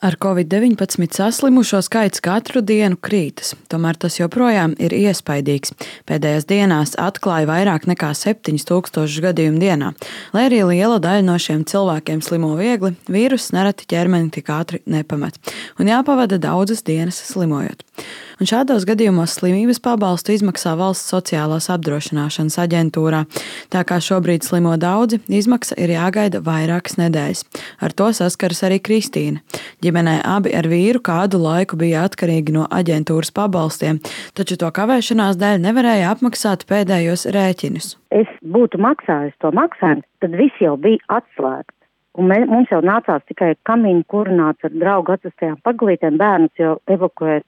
Ar Covid-19 saslimušo skaits katru dienu krītas, tomēr tas joprojām ir iespaidīgs. Pēdējās dienās atklāja vairāk nekā 7000 gadījumu dienā. Lai arī liela daļa no šiem cilvēkiem slimo viegli, vīruss nereti ķermeni tik ātri nepamet, un jāpavada daudzas dienas slimojot. Un šādos gadījumos slimības pabalstu izmaksā Valsts sociālās apdrošināšanas aģentūrā. Tā kā šobrīd slimo daudzi, izmaksa ir jāgaida vairākas nedēļas. Ar to saskaras arī Kristīna. Ģimenē abi ar vīru kādu laiku bija atkarīgi no aģentūras pabalstiem, taču to kavēšanās dēļ nevarēja apmaksāt pēdējos rēķinus. Es būtu maksājis to maksājumu, tad viss jau bija atslēgts. Un mums jau nācās tikai kamīnu kurināts ar draugu atvestajām paglītēm, bērnus jau evakuēt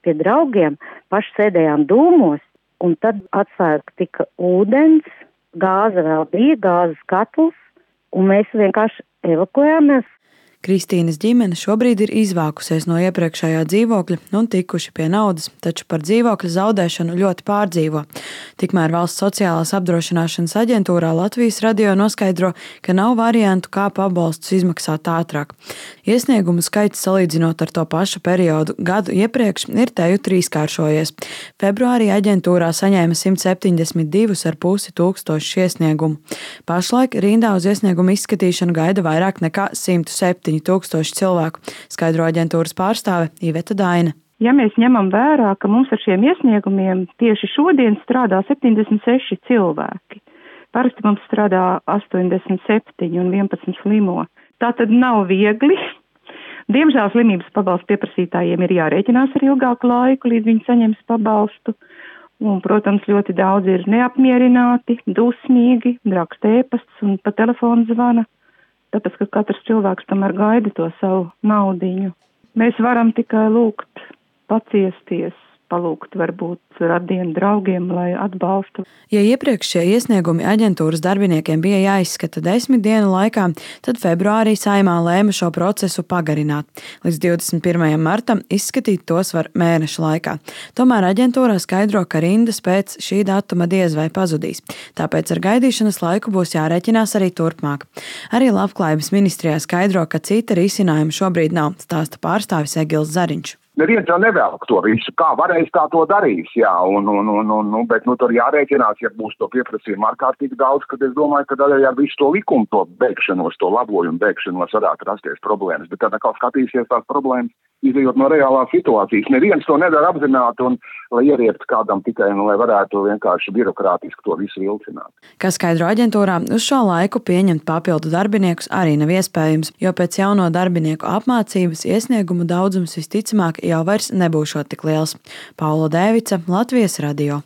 pie draugiem, paši sēdējām dūmos, un tad atslēgta tika ūdens, gāze vēl bija, gāzes katls, un mēs vienkārši evakuējāmies. Kristīnas ģimene šobrīd ir izvākusies no iepriekšējā dzīvokļa un tikuši pie naudas, taču par dzīvokļa zaudēšanu ļoti pārdzīvo. Tikmēr Valsts sociālās apdrošināšanas aģentūrā Latvijas radio noskaidro, ka nav variantu, kā pabalstus izmaksāt ātrāk. Iesniegumu skaits salīdzinot ar to pašu periodu gadu iepriekš ir teju trīskāršojies. Februārī aģentūrā saņēma 172,5 tūkstošus iesniegumu. Pašlaik rindā uz iesniegumu izskatīšanu gaida vairāk nekā 107 tūkstoši cilvēku, skaidro aģentūras pārstāve Iveta Daina. Ja mēs ņemam vērā, ka mums ar šiem iesniegumiem tieši šodien strādā 76 cilvēki, parasti mums strādā 87 un 11 slimo. Tā tad nav viegli. Diemžēl slimības pabalstu pieprasītājiem ir jārēķinās ar ilgāku laiku, līdz viņi saņems pabalstu. Un, protams, ļoti daudz ir neapmierināti, dusmīgi, raksta ēpasts un pa telefonu zvana. Tāpēc, ka katrs cilvēks tomēr gaida to savu naudiņu. Mēs varam tikai lūgt, paciesties, palūgt varbūt radienu draugiem, lai atbalstu. Ja iepriekš šie iesniegumi aģentūras darbiniekiem bija jāizskata 10 dienu laikā, tad februārī Saeimā lēma šo procesu pagarināt. Līdz 21. martam izskatīt tos var mēneša laikā. Tomēr aģentūrā skaidro, ka rindas pēc šī datuma diez vai pazudīs. Tāpēc ar gaidīšanas laiku būs jārēķinās arī turpmāk. Arī Labklājības ministrijā skaidro, ka cita risinājuma šobrīd nav, stāsta pārstāvis Egils Zariņš. Neviens jau nevēl to visu, kā varēs, tā to darīs, jā, bet tur jārēķinās, ja būs to pieprasījumu ārkārtīgi daudz, kad es domāju, ka arī ar visu to likumu, to beigšanos, to labojumu beigšanos varētu rasties problēmas, bet tad atkal skatīsies tās problēmas, izejot no reālās situācijas. Neviens to nedara apzināti un lai ieriebtu kādam tikai, lai varētu vienkārši birokrātiski to visu vilcināt. Kā skaidro aģentūrā, uz šo laiku pieņemt papildu darbiniekus arī nav iespējams, jo pēc jauno darbinieku apmācības iesniegumu daudzums visticamāk jau vairs nebūšot tik liels. Paula Dēvica, Latvijas radio.